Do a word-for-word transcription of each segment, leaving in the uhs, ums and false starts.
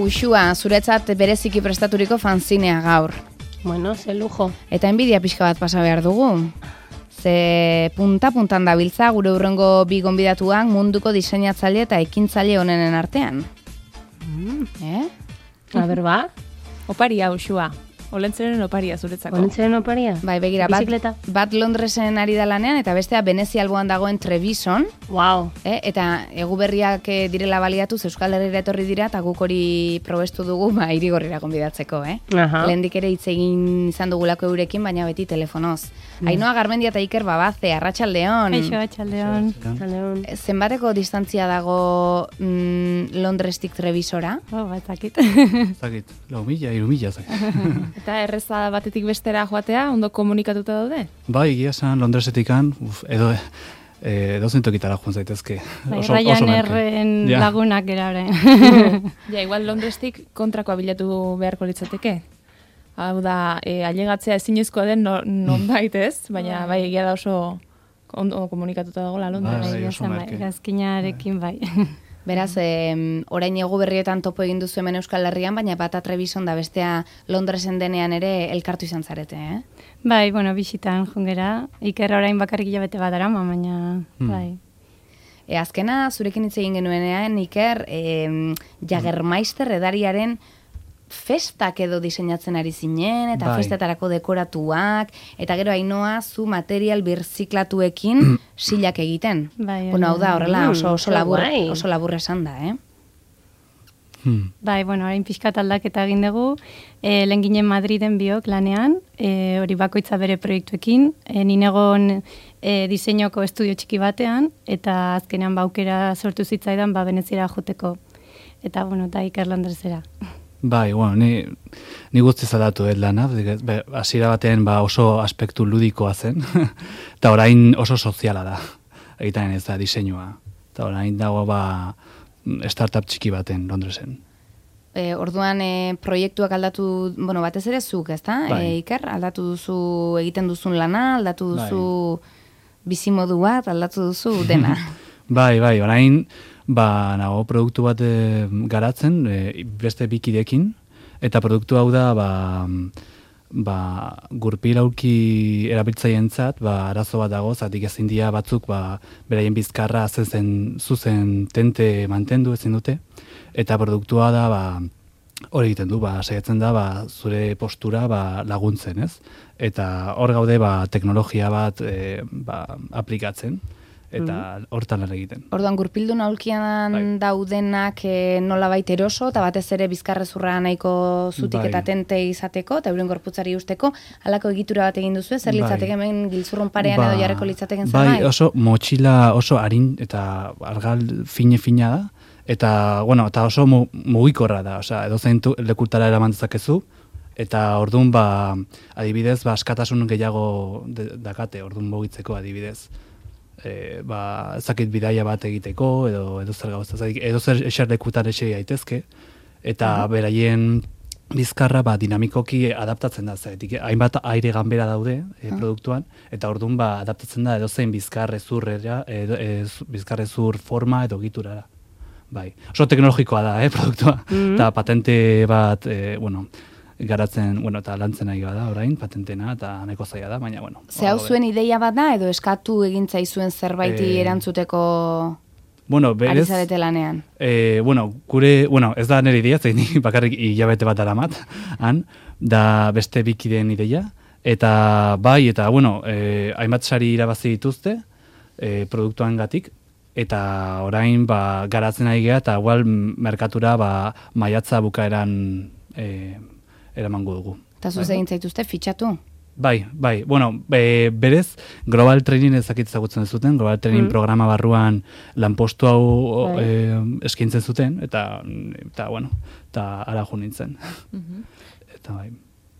Uxua, zuretzat bereziki prestaturiko fanzinea gaur. Bueno, ze lujo. Eta enbidia pixka bat pasa behar dugu. Ze punta-puntan dabiltza gure hurrengo bi gonbidatuak munduko diseinatzaile eta ekintzaile honenen artean. Mm. Eh? A ber, ba? Oparia, Uxua. Olentzeren oparia zuretzako. Olentzeren oparia? Bai, begira, bat, Bizikleta? bat Londresen ari da lanean, eta bestea Venezia alboan dagoen Trebison. Wow. Eh? Eta eguberriak eh, direla baliatuz Euskal Herrira etorri dira, eta guk hori probestu dugu, ba, Irigorrira gonbidatzeko, eh? Aha. Lehendik ere hitz egin izan dugulako eurekin, baina beti telefonoz. Mm. Ainhoa Garmendia eta Iker Babaze, arratsaldeon. Eixo, atxaldeon. Atxaldeon. Zenbateko distantzia dago mm, Londrestik Trebisora? Oh, batzakit. Zakit, lau mila, iru mila, zakit. Eta erreza batetik bestera joatea, ondo komunikatuta daude? Bai, egia esan Londresetikan, uf, edo e, dozen tokitara joan zaitezke. Bai, Oso, oso Ryan merke. Erren Ja. lagunak erare. Ja, igual Londrestik kontrakoa bilatu beharko litzateke. Hau da, e, ailegatzea ezinezkoa den no, nonbait ez, baina bai egia da oso ondo komunikatuta dagoela Londres. Bai, Bai, oso merke. Gazkinarekin bai. Beraz, em, orain egu berrietan topo egin duzu hemen Euskal Herrian, baina bata Trebison da bestea Londresen denean ere elkartu izan zarete, eh? Bai, bueno, bisitan jungera. Iker orain bakarrik hilabete bat arama, baina Hmm. bai. E, azkena, zurekin hitz egin genuenean, Iker, em, Jagermeister edariaren festak edo diseinatzen ari zinen, eta Bai. festetarako dekoratuak, eta gero Ainhoa zu material birziklatuekin silak egiten. Bai, Bueno, hau da, horrela oso, Mm, oso, ze labur, guai. oso labur esan da, eh? Hmm. Bai, bueno, orain pixkat aldaketa egin dugu, e, lehen ginen Madriden biok lanean, e, hori bakoitza bere proiektuekin, e, ninegon e, diseinoko estudio txiki batean, eta azkenean baukera sortu zitzaidan ba Veneziara joteko. Eta, bueno, eta Iker Londresera. Bai, bueno, ni, ni guztiz aldatu ez lana, be, hasiera batean ba oso aspektu ludikoa zen, eta orain oso soziala da, egiten ez da diseinua. Eta orain dago ba startup txiki baten Londresen. E, orduan e, proiektuak aldatu, bueno, batez ere zuk, ezta? Bai. E, Iker, aldatu duzu egiten duzun lana, aldatu duzu bizimodu bat, aldatu duzu dena. Bai, bai, orain ba nago produktu bat e, garatzen e, beste bikidekin, eta produktu hau da ba, ba gurpil aurki erabiltzaientzat ba arazo bat dago, zatik ezin dira batzuk ba beraien bizkarra zen zuzen tente mantendu ezin dute, eta produktua da ba hori egiten du, ba saiatzen da ba zure postura ba laguntzen, ez? Eta hor gaude ba teknologia bat e, ba aplikatzen eta hortan lan egiten. Orduan, gurpildun aulkian Bai. daudenak e, nolabait eroso, eta batez ere bizkarrezurra nahiko zutik Bai. eta tente izateko, eta euren gorputzari usteko, halako egitura bat egin duzu, zer Bai. litzateke hemen giltzurrun parean Ba, edo jarreko litzateken bai, zerbait? oso motxila oso arin eta argal fine-fina da, eta, bueno, eta oso mu, mugikorra da, osea, edozein tu- lekutara eraman dezakezu, eta ordun ba, adibidez, ba, askatasun gehiago de, dakate, ordun mugitzeko adibidez. E, ba, ezakit bidaia bat egiteko, edo edo zer gauza, edo zer eserlekutan esei daitezke, eta beraien bizkarra ba, dinamikoki adaptatzen da, zaitik hainbat aire ganbera daude e, produktuan, eta orduan ba, adaptatzen da edozein bizkarrezurrera, edo, e, bizkarrezur forma edo giturara. Bai, oso teknologikoa da, eh, produktua, eta patente bat, e, bueno, garatzen, bueno, eta lantzen ari da orain, patentena, eta nahiko zaila da, baina, bueno. Ze hau hor gaude. zuen ideia bat da, edo eskatu egintzaizuen zerbaiti Eh, erantzuteko Bueno, ari berez, zarete lanean? E, bueno, gure, bueno, ez da nire ideia, zein ni bakarrik hilabete bat daramat, han, da beste bikideen ideia, eta bai, eta, bueno, e, hainbat sari irabazi dituzte, e, produktuan gatik, eta orain, ba, garatzen ari gea, eta igual merkatura, ba, maiatza bukaeran e, eramango dugu. Eta zuz egin zaituzte, fitxatu? Bai, bai, bueno, be, berez, Global Training ezakit ezagutzen zuten, Global Training programa barruan lanpostu hau Bai. e, eskaintzen zuten, eta, eta bueno, eta ara jo nintzen. Eta bai.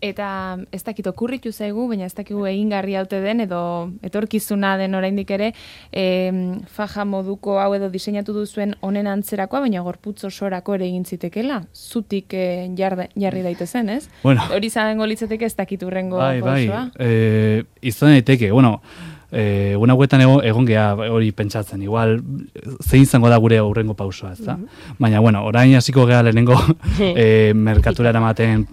Eta ez dakit okurritu zaigu, baina ez dakigu egingarri haute den, edo etorkizuna den oraindik ere, e, faja moduko hau edo diseinatu duzuen honen antzerakoa, baina gorputz osorako ere egin zitekela, zutik e, jar, jarri daitezen, ez? Bueno. Hori izango litzateke ez dakit urrengo Bai, bai, pausoa. e, izan daiteke, bueno, E, Una hauetan egon, egon geha hori pentsatzen, igual zein izango da gure aurrengo pausoa, ez da? Mm-hmm. Baina, bueno, orain hasiko geha lehenengo e, merkatura eramaten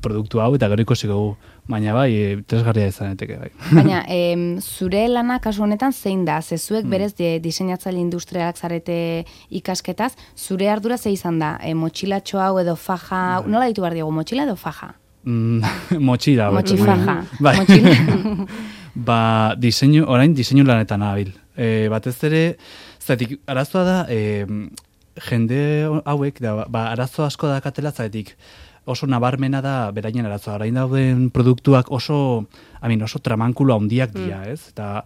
produktu hau, eta gero ikusiko gu, baina bai, e, tresgarria izaneteke bai. Baina, e, zure lana kasu honetan zein da? Ze zuek berez de, diseinatzaile industrialak zarete ikasketaz, zure ardura ze izan da? E, motxilatxo hau edo faja, bai. Nola ditu behar diego, motxila edo faja? Mm, motxila. Motxifaja. Bai. Motxila. Ba, diseinu, orain diseinu lanetan nabil. E, batez ere, zaitik, arazoa da, e, jende hauek, da, ba, arazo asko dakatela, zaitik, oso nabarmena da beraien arazoa. Orain dauden produktuak oso, amin, oso tramankulo handiak dira, ez? Eta,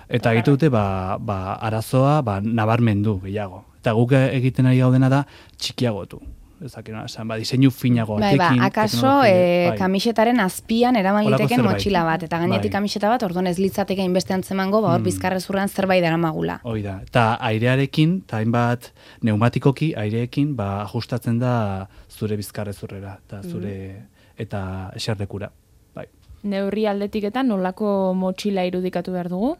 eta egite dute, ba, ba, arazoa ba, nabarmendu gehiago. Eta guk egiten ari gaudena da txikiagotu. Ezak, no? Esan, ba, diseinu finago bai, batekin. Ba, akaso e, kamisetaren azpian eraman liteken motxila bat, eta gainetik bai. Kamiseta bat, orduan ez litzateke inbeste antzemango, ba, hor mm. bizkarrezurran zerbait daramagula. Hoi da, eta airearekin, eta hainbat neumatikoki aireekin, ba, ajustatzen da zure bizkarrezurrera, eta zure, mm. eta eserlekura. Bai. Neurri aldetik eta nolako motxila irudikatu behar dugu?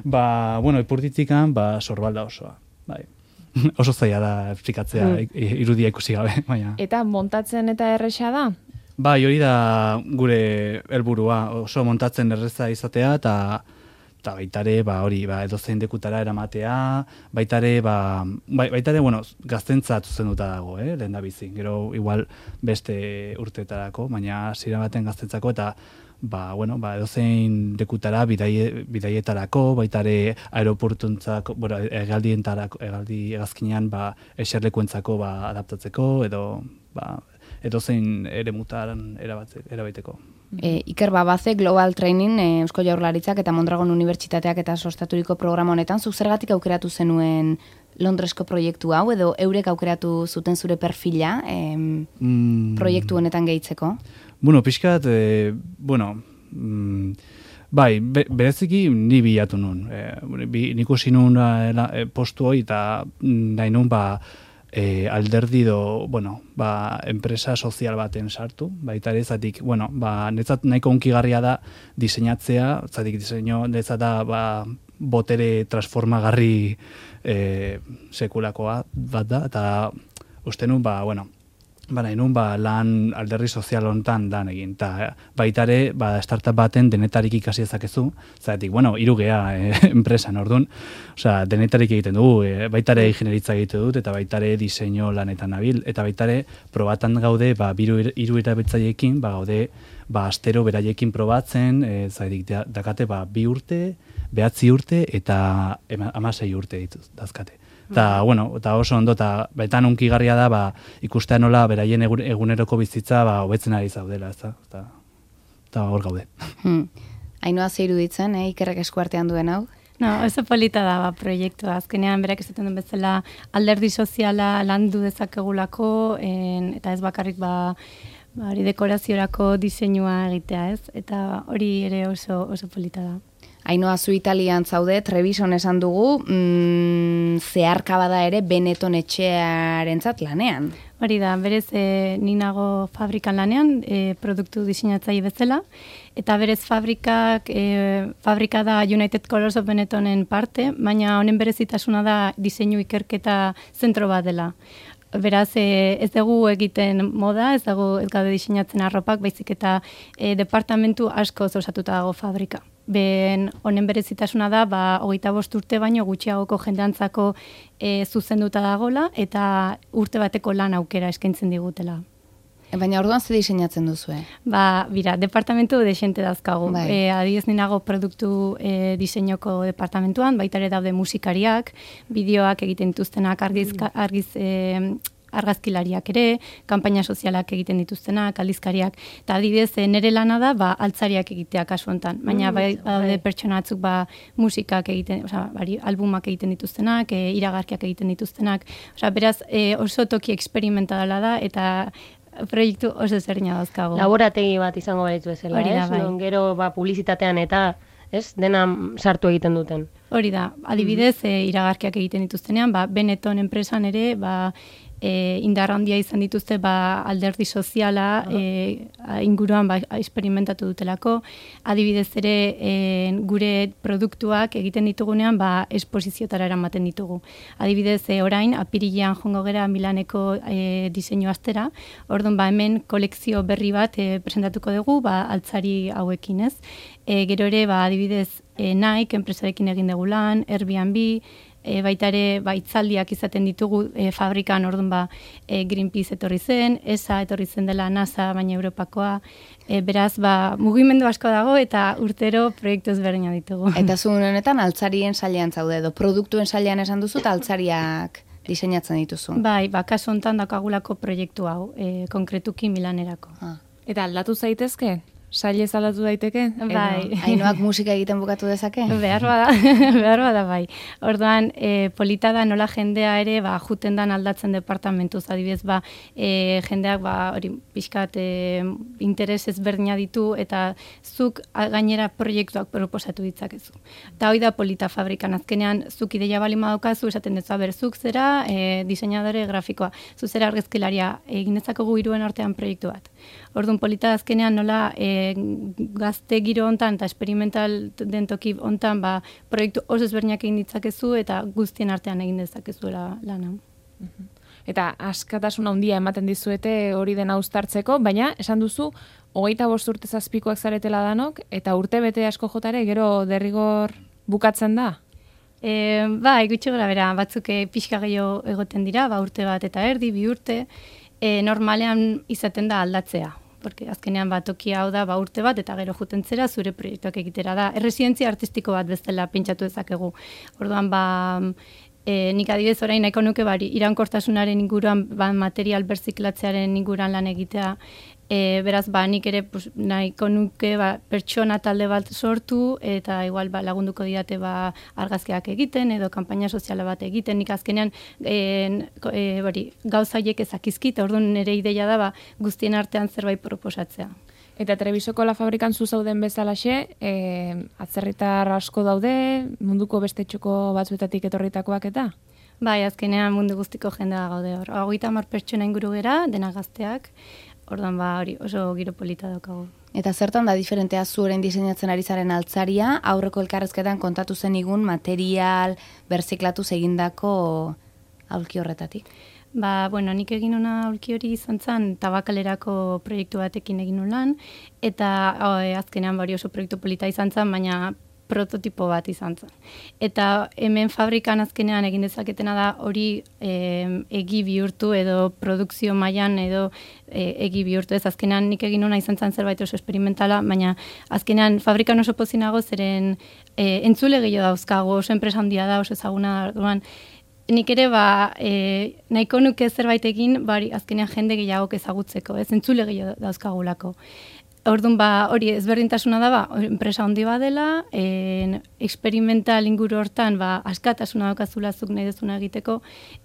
Ba, bueno, ipurditikan, ba, sorbalda osoa, bai. Oso zaila da esplikatzea mm. irudia ikusi gabe, baina. Eta montatzen eta erresa da? Bai, hori da gure helburua, oso montatzen erreza izatea, eta eta baitare, ba, hori, ba, edozein dekutara eramatea, baitare, ba, bai, baitare, bueno, gaztentzat zuzenduta dago, eh, lehen da bizi. Gero, igual, beste urteetarako, baina zira baten gaztentzako, eta ba, bueno, ba, edozein dekutara bidaie, bidaietarako, baitare aeroportuntzako, bueno, egaldientarako, egaldi egazkinean, ba, eserlekuentzako, ba, adaptatzeko, edo, ba, edozein ere mutaren erabaiteko. E, Iker Babaze, Global Training, e, Eusko Jaurlaritzak eta Mondragon Unibertsitateak eta sustaturiko programa honetan, zuk zergatik aukeratu zenuen Londresko proiektu hau, edo eurek aukeratu zuten zure perfila e, mm. proiektu honetan gehitzeko? Bueno, pixkat, e, bueno, mm, bai, be, bereziki ni bilatu nun. E, bi, nik usi nun e, postu hori eta nahi nun, ba, E, alderdi do, bueno, ba, enpresa sozial baten sartu, baita ere, zatik, bueno, ba, netzat nahiko unkigarria da diseinatzea, zatik diseinu, netzat da, ba, botere transformagarri e, sekulakoa bat da, eta uste nun, ba, bueno, ba, nahi nun, ba, lan alderdi sozial hontan lan egin, eta baita ere, ba, startup baten denetarik ikasi ezakezu, zatik, bueno, hiru gea e, enpresan, orduan, osea, denetarik egiten dugu, e, baita ere ingenieritza egite dut, eta baita ere diseinu lanetan nabil, eta baita ere probatan gaude, ba, biru, hiru erabiltzaileekin, ba, gaude, ba, astero beraiekin probatzen, e, zatik, dakate, ba, bi urte, behatzi urte, eta hamasei urte dituz, dazkate. Eta, bueno, eta oso ondo, eta betan unkigarria da, ba, ikustea nola beraien eguneroko bizitza, ba, hobetzen ari zaudela, ez da, eta, eta hor gaude. Hmm. Ainhoa ze iruditzen, eh, Ikerrek esku artean duen hau? No, oso polita da, ba, proiektua. Azkenean, berak esaten duen bezala, alderdi soziala landu dezakegulako, en, eta ez bakarrik, ba, ba, hori dekoraziorako diseinua egitea, ez? Eta hori ere oso, oso polita da. Ainhoa, zu Italian zaude, Trebison esan dugu, mm, zeharka bada ere Benetton etxearentzat lanean. Hori da, berez e, ni nago fabrikan lanean, e, produktu diseinatzaile bezala, eta berez fabrikak, e, fabrika da United Colors of Benettonen parte, baina honen berezitasuna da diseinu ikerketa zentro bat dela. Beraz, e, ez dugu egiten moda, ez dugu ez gaude diseinatzen arropak, baizik eta e, departamentu asko osatuta dago fabrika. Ben honen berezitasuna da, ba, hogeita bost urte baino gutxiagoko jendeantzako e, zuzenduta dagola, eta urte bateko lan aukera eskaintzen digutela. E, baina orduan ze diseinatzen duzue? Ba, bira, departamentu desente dazkagu. Bai. E, adiez ninago produktu e, diseinoko departamentuan, baita ere daude musikariak, bideoak egiten dituztenak, argiz, argiz e, argazkilariak ere, kanpaina sozialak egiten dituztenak, aldizkariak, eta adibidez nere lana da, ba, altzariak egitea kasu honetan, baina mm, bai, bai. pertsona batzuk ba, musikak egiten, osea, bari, albumak egiten dituztenak, e, iragarkiak egiten dituztenak, osea, beraz, e, oso toki experimentala da, eta proiektu oso zerina dauzkago. Laborategi bat izango balitzu bezala, Hori da, ez? bai. Non gero ba, publizitatean eta ez dena sartu egiten duten. Hori da, adibidez, e, iragarkiak egiten dituztenean, ba, Benetton enpresan ere, ba, e, indar handia izan dituzte ba, alderdi soziala e, inguruan ba, experimentatu dutelako. Adibidez ere e, gure produktuak egiten ditugunean ba, esposiziotara eramaten ditugu. Adibidez e, orain, apirilean jongo gera Milaneko e, diseinu astera, orduan ba, hemen kolekzio berri bat e, presentatuko dugu ba, altzari hauekin ez. E, gero ere, ba, adibidez, e, Nike, enpresarekin egin dugu lan, Airbnb, e, baita ere, ba, itzaldiak izaten ditugu e, fabrikan, orduan ba, e, Greenpeace etorri zen, E S A etorri zen dela NASA, baina Europakoa, e, beraz, ba, mugimendu asko dago eta urtero proiektu ezberdina ditugu. Eta zu honetan altzarien sailean zaude, edo produktuen sailean esan duzu, eta altzariak diseinatzen dituzu. Bai, ba, kasu honetan dakagulako proiektu hau, e, konkretuki Milanerako. Ah. Eta aldatu zaitezke? Sailez aldatu daiteke? Bai. Ainoak musika egiten bukatu dezake? Behar bada, behar bada bai. Orduan, e, polita da nola jendea ere, ba, juten dan aldatzen departamentuz, adibidez, ba, e, jendeak, ba, hori, pixkat, e, interes ezberdina ditu, eta zuk a, gainera proiektuak proposatu ditzakezu. Eta hori da polita fabrikan, azkenean, zuk ideia bali madaukazu, esaten dezu, aber, zuk zera, e, diseinadore grafikoa, zu zera argazkilaria, egin dezakogu hiruen artean proiektu bat. Orduan, polita azkenean nola, e, gazte giro hontan eta experimental den toki hontan ba, proiektu oso ezberdinak egin ditzakezu eta guztien artean egin dezakezuela lana. Eta askatasun handia ematen dizuete hori dena uztartzeko, baina esan duzu hogeita bost urte zazpikoak zaretela danok eta urte bete asko jotare gero derrigor bukatzen da? E, ba, gutxi gora bera, batzuk e, pixka gehiago egoten dira, ba, urte bat eta erdi, bi urte, e, normalean izaten da aldatzea. Porque azkenean bat tokia hau da ba urte bat eta gero juten zera zure proiektuak egitera da. Erresidentzia artistiko bat bezala pentsatu dezakegu. Orduan ba e, nik adibidez orain nahiko nuke bari iraunkortasunaren inguruan ba, material berziklatzearen inguruan lan egitea. E, beraz ba nik ere pues, nahiko nuke ba, pertsona talde bat sortu eta igual ba, lagunduko diate ba, argazkiak egiten edo kanpaina soziala bat egiten. Nik azkenean e, e, bari, gauza haiek ezakizkit, orduan nire ideia da ba, guztien artean zerbait proposatzea. Eta Trebisoko La Fabrikan zu zauden bezalaxe, e, atzerritar asko daude, munduko beste txoko batzuetatik etorritakoak eta? Bai, azkenean mundu guztiko jendea gaude hor. Hogeita hamar pertsona inguru gera, dena gazteak, orduan ba hori oso giro polita daukagu. Eta zertan da diferentea zu orain diseinatzen ari zaren altzaria, aurreko elkarrezketan kontatu zen igun material, berziklatu egindako aulki horretatik? Ba, bueno, nik egin una aulki hori izan zen tabakalerako proiektu batekin egin nun lan, eta o, azkenean bari oso proiektu polita izan zen, baina prototipo bat izan zen. Eta hemen fabrikan azkenean egin dezaketena da hori e, egi bihurtu edo produkzio mailan edo e, egi bihurtu. Ez azkenean nik egin una izan zen zerbait oso experimentala, baina azkenean fabrikan oso pozinago zeren e, entzule gehiago dauzkago, oso enpresa handia da, oso ezaguna da. Nik ere ba, e, nahiko nuke zerbait egin, bari azkenean jende gehiago ezagutzeko, ez entzule gehiago dauzkagulako. Orduan ba, hori ezberdintasuna da ba, enpresa handi badela, en, experimental inguru hortan ba, askatasuna daukazula zuk nahi dezuna egiteko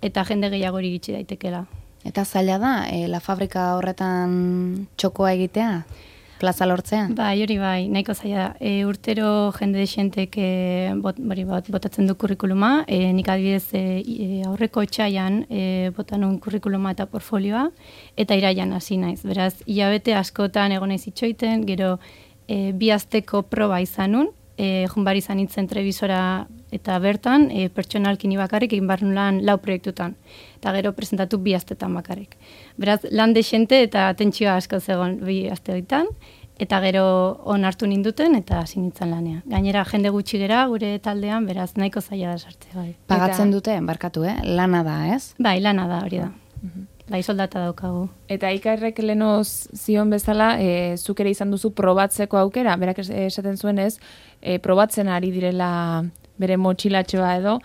eta jende gehiago hori gitxi daitekela. Eta zaila da, e, La Fabrika horretan txokoa egitea? Plaza lortzea? Bai, hori bai, nahiko zaila. E, urtero jende desentek e, bot, bori, bot, botatzen du kurrikuluma, e, nik adibidez e, e, aurreko txaian e, botan un kurrikuluma eta portfolioa, eta iraian hasi naiz. Beraz, hilabete askotan egon naiz itxoiten, gero e, bi asteko proba izanun, e, junbar izan nintzen Trebisora eta bertan, e, pertsonalkin bakarrik egin behar nulan lau proiektutan. Eta gero presentatu bi astetan bakarrik. Beraz, lan desente eta tentsioa asko zegoen bi aste hoitan, eta gero on hartu ninduten eta hasi nintzen lanean. Gainera, jende gutxi gera gure taldean, beraz, nahiko zaila da sartzea. Bai. Pagatzen eta, dute, barkatu, eh? Lana da, ez? Bai, lana da, hori da. Bai, soldata daukagu. Eta ikarrek lenoz zion bezala, e, zuk ere izan duzu probatzeko aukera, berak esaten zuen ez, e, probatzen ari direla bere motxilatxoa edo,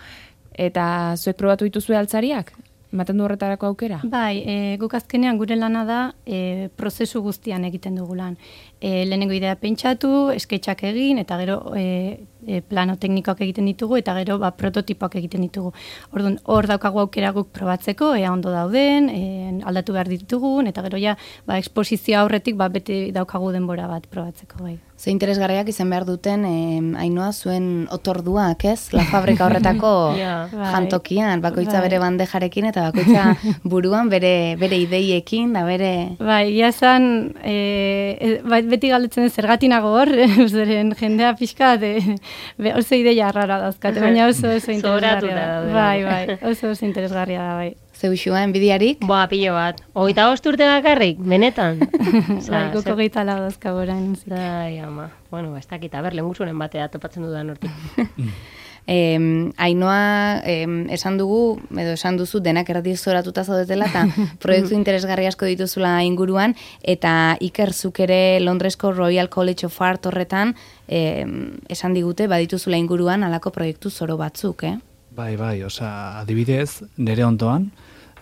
eta zuek probatu dituzue altzariak? Ematen du horretarako aukera? Bai, e, guk azkenean gure lana da e, prozesu guztian egiten dugu lan. E, lehenengo idea pentsatu, esketxak egin, eta gero e, e, plano teknikoak egiten ditugu, eta gero ba, prototipoak egiten ditugu. Orduan, hor daukagu aukera guk probatzeko, ea ondo dauden, e, aldatu behar ditugun, eta gero ja, ba, eksposizio aurretik ba, beti daukagu denbora bat probatzeko bai. Ze interesgarriak izan behar duten, eh, Ainoa zuen otorduak, ez? La fabrika horretako Ja. jantokian, bakoitza Bai. bere bandejarekin eta bakoitza buruan bere bere ideiekin, da bere... Bai, ia esan, e, e, beti galdetzen zergatik nago hor, zeren jendea pixka, de, be, oso ideia arrara dauzkate, baina oso oso interesgarria Zoratuta da. daude. Bai, bai, oso oso interesgarria da, bai. Zeuxua, enbidiarik? Boa, pilo bat. Hogeita bost urte bakarrik, benetan. Bai, goko gehieta lau dauzkagu orain. Ai, ama. Bueno, ez dakit, aber, lehengusunen batea topatzen dudan hortik. Eh, Ainoa, eh, esan dugu, edo esan duzu, denak erratik zoratuta zaudetela, eta proiektu interesgarri asko dituzula inguruan, eta Iker zuk ere Londresko Royal College of Art horretan, eh, esan digute, badituzula inguruan alako proiektu zoro batzuk, eh? Bai, bai, osea, adibidez, nire ondoan,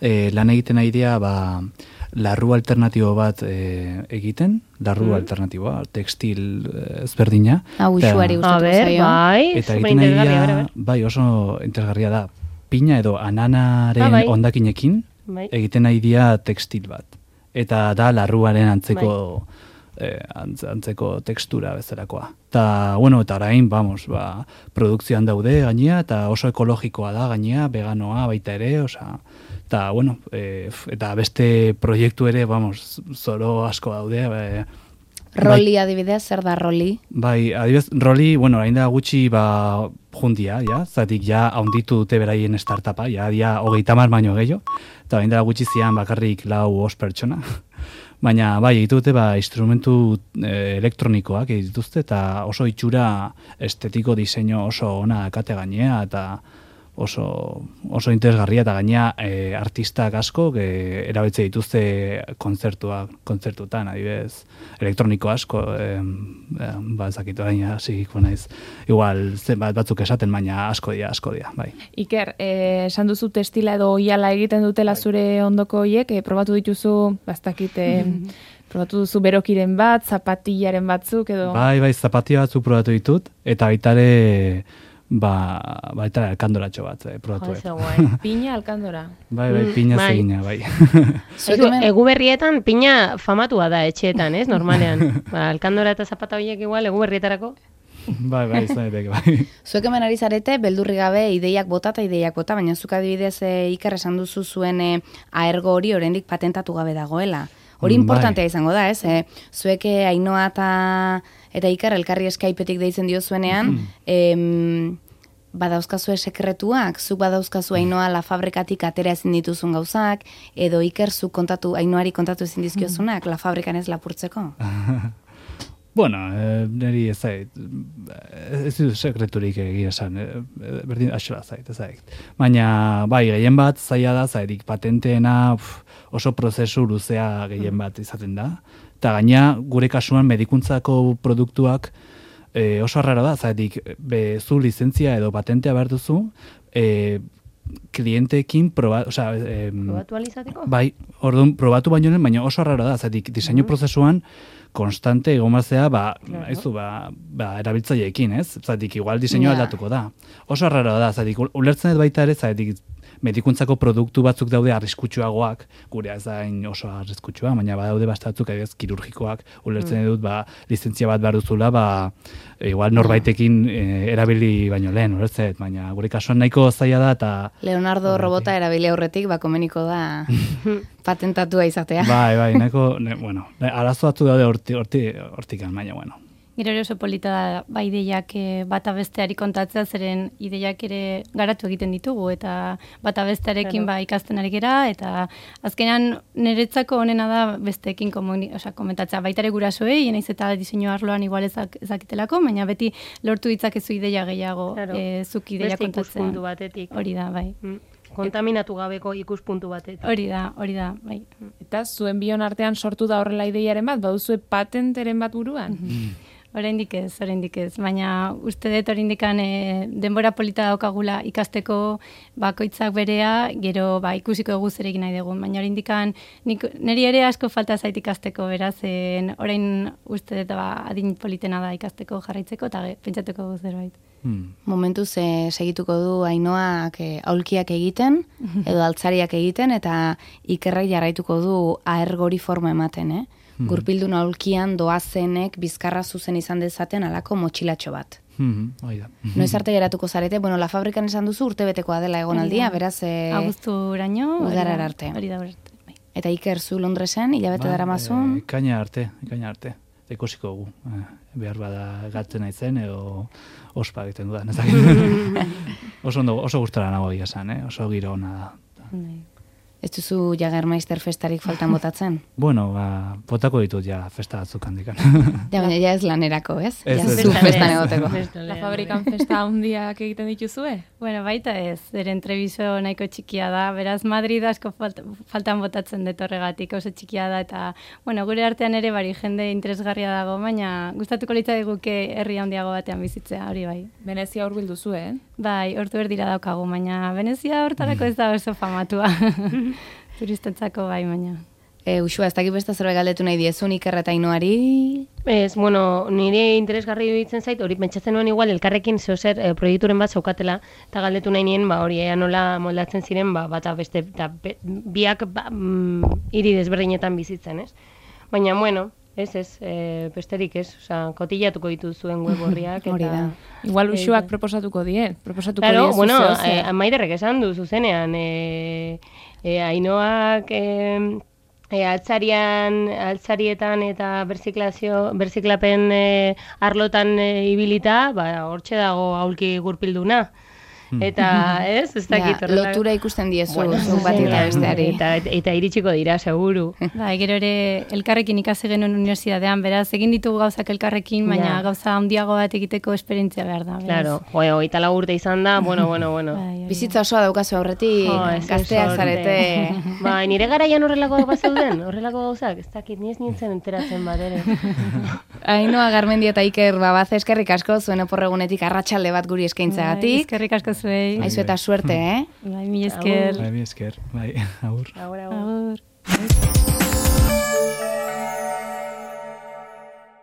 e, lan egiten nahi dira, ba, larru alternatibo bat e, egiten, larru Mm. alternatiboa, tekstil eh, ezberdina. Hau Eta- usuari A gustatuko ber, zaio. bai, Eta super egiten nahi interesgarria, dira, ber, ber. bai, oso interesgarria da, pina edo ananaren Ah, bai. hondakinekin Bai. egiten nahi dira tekstil bat. Eta da larruaren antzeko eh, antz- antzeko tekstura bezalakoa. Ta, bueno, eta orain, vamos, ba, produkzioan daude gainea, eta oso ekologikoa da gainea, veganoa baita ere, osea, eta, bueno, eh, f- eta beste proiektu ere, vamos, zoro asko daude, eh, Roli adibidez, zer da roli? Bai, adibidez, roli, bueno, hain da gutxi ba, jundia, ja, zatik ja haunditu dute beraien startupa, ja, dia hogeita mar baino gehiago, eta hain da gutxi zian bakarrik lau os pertsona. Baina, bai, egitu dute, ba, instrumentu eh, elektronikoak egituzte, eta oso itxura estetiko diseinu oso ona dakate gainea, eta oso, oso interesgarria, eta gainea eh, artistak asko e, erabetze dituzte kontzertua, kontzertutan, adibidez, elektroniko asko, eh, eh, ba, ezakitu gaina, zikiko naiz, igual, zenbat batzuk esaten, baina asko dira, asko dira, bai. Iker, eh, esan duzu testila edo oiala egiten dutela zure ondoko hoiek, eh, probatu dituzu, bastakit, eh, probatu duzu berokiren bat, zapatillaren batzuk edo... Bai, bai, zapatia batzuk probatu ditut, eta baita ere, ba, baita ere alkandoratxo bat, eh, probatu. Jo, dut. ze guai. Pina alkandora. Bai, bai, Mm, pina bai. zegina, bai. Zuek Egu, hemen- egu berrietan pina famatua da etxeetan, ez? Normalean. Ba, alkandora eta zapata horiek igual, egu berrietarako. bai, bai, izan daiteke, bai. Zuek hemen ari zarete, beldurri gabe ideiak bota eta ideiak bota, baina zuk adibidez e, Iker esan duzu zuen e, aergo hori oraindik patentatu gabe dagoela. Hori Mm, importantea bai. izango da, ez? E, zuek e, Ainoa eta, eta Iker elkarri Skypeetik deitzen diozuenean, em, badauzkazue sekretuak, zuk badauzkazu Ainoa la fabrikatik atera ezin dituzun gauzak, edo Iker zuk kontatu, Ainoari kontatu ezin dizkiozunak, la fabrikan ez lapurtzeko. Bueno, eh, niri ez zait, ez dut sekreturik egia esan, eh, berdin axola zait, ez zait. Baina, bai, gehien bat zaila da, zaitik patenteena uf, oso prozesu luzea gehien bat izaten da. Eta gaina, gure kasuan medikuntzako produktuak eh, oso arraro da, zaitik be, zu lizentzia edo patentea behar duzu, eh, klienteekin proba, osea, eh, Probatu alizateko? bai, orduan probatu baino lehen, baina oso arraro da, zaitik diseinu prozesuan konstante egomazea, ba, Claro. aizu, ba, ba, erabiltzaileekin, ez? Zatik, igual diseinua Ja. aldatuko da. Oso arraro da, zatik, ulertzen dut baita ere, zatik, medikuntzako produktu batzuk daude arriskutsuagoak, gure ez da hain oso arriskutsua, baina badaude bastatzuk, adibidez, kirurgikoak, ulertzen dut, ba, lizentzia bat behar duzula, ba, igual norbaitekin eh, erabili baino lehen, ulertzen dut, baina gure kasuan nahiko zaila da, eta Leonardo robota erabili aurretik, ba, komeniko da patentatua izatea. bai, bai, nahiko, ne, bueno, ne- arazo batzu daude horti, horti, hortikan, baina, bueno. Gero ere oso polita da, ba ideiak eh, bata besteari kontatzea, zeren ideiak ere garatu egiten ditugu, eta bata bestearekin Claro. ba ikasten ari gera, eta azkenan niretzako onena da besteekin komuni, osea, komentatzea, baita ere gurasoei, naiz eta diseinu arloan igual ezak, ezakitelako, baina beti lortu ditzakezu ideia gehiago, Claro. eh, zuk ideia Beste kontatzen. ikuspuntu batetik. Hori da, bai. Mm. Kontaminatu gabeko ikuspuntu batetik. Hori da, hori da, bai. Eta zuen bion artean sortu da horrela ideiaren bat, baduzue patenteren bat buruan? Oraindik ez, oraindik ez, baina uste dut oraindikan e, denbora polita daukagula ikasteko bakoitzak berea, gero ba ikusiko dugu zer egin nahi dugun, baina oraindikan nik neri ere asko falta zait ikasteko, beraz, en, orain uste dut ba adin politena da ikasteko jarraitzeko eta ge- pentsatuko dugu zerbait. Hmm. Momentuz e, segituko du Ainoak e, aulkiak egiten, edo altzariak egiten, eta Ikerrek jarraituko du aergori forma ematen, eh? Hmm. Gurpildun aulkian doazenek bizkarra zuzen izan dezaten alako motxilatxo bat. Hmm. Hoi da. Noiz arte geratuko zarete, bueno, La Fabrikan esan duzu urtebetekoa dela egonaldia, beraz... E, Abuzturaino. Udarar arte. Hori da, hori da. Eta Iker zu Londresen, hilabete daramazun. E, ikaina arte, ikaina arte. Eta ikusiko gu. Eh, behar bada gatzen naizen, edo ospa egiten dudan. Ez dakit. oso, ondo, oso gustora nago egia esan, eh? Oso giro ona da. Ez duzu Jagermeister festarik faltan botatzen? Bueno, ba, botako ditut ja festa batzuk handikan. Ja, baina ja ez lanerako, ez? Ez, ja ez, zu ez. festan egoteko. La Fabrikan festa handiak egiten dituzue? Bueno, baita ez, eren trebiso nahiko txikia da, beraz Madrid asko falt, faltan botatzen dut horregatik, oso txikia da, eta, bueno, gure artean ere bari jende interesgarria dago, baina gustatuko litzaiguke herri handiago batean bizitzea, hori bai. Venezia hurbildu zu, eh? Bai, hortu erdira daukagu, baina Venezia hortarako ez da oso famatua. Turistentzako bai, baina. E, Uxua, ez dakit beste zerbait galdetu nahi diezun Iker eta Ainoari? Ez, bueno, nire interesgarri ditzen zait, hori pentsatzen nuen igual elkarrekin zeozer e, proiekturen bat zaukatela, eta galdetu nahi nien, ba, hori ea nola moldatzen ziren, ba, bata beste, eta be, biak ba, mm, hiri desberdinetan bizitzen, ez? Baina, bueno, ez, ez, e, besterik ez, oza, kotillatuko dituzuen web horriak, Hori da. Igual Uxuak proposatuko die, proposatuko Claro, die bueno, zuzeo eh, zer. Maiderrek esan du zuzenean, e, e, Ainoak e, e, altzarian, altzarietan eta berziklazio, berziklapen e, arlotan e, ibilita, ba, hortxe dago aulki gurpilduna. Eta, ez, ez dakit Ja, horrela- lotura ikusten diezu, Bueno, zuk bati eta zuzenean, besteari. Eta, eta iritsiko dira, seguru. Bai, gero ere elkarrekin ikasi genuen unibertsitatean, beraz, egin ditugu gauzak elkarrekin, baina Ja. gauza handiago bat egiteko esperientzia behar da. beraz. Claro, jo, hogeita lau urte izan da, bueno, bueno, bueno. Bai, hori da. Bizitza osoa daukazu aurretik, Jo, ez gazteak sorte. zarete. Bai, nire garaian horrelako bat zeuden, horrelako gauzak, ez dakit, ni ez nintzen enteratzen bat ere. Ainoa Garmendia eta Iker Babaze, eskerrik asko zuen oporregunetik arratsalde bat guri Bai, eskaintzagatik. eskerrik asko zuei. Aizu eta suerte, eh? Bai, mi esker. Bai, mi esker, bai, agur. Ahora, Agur.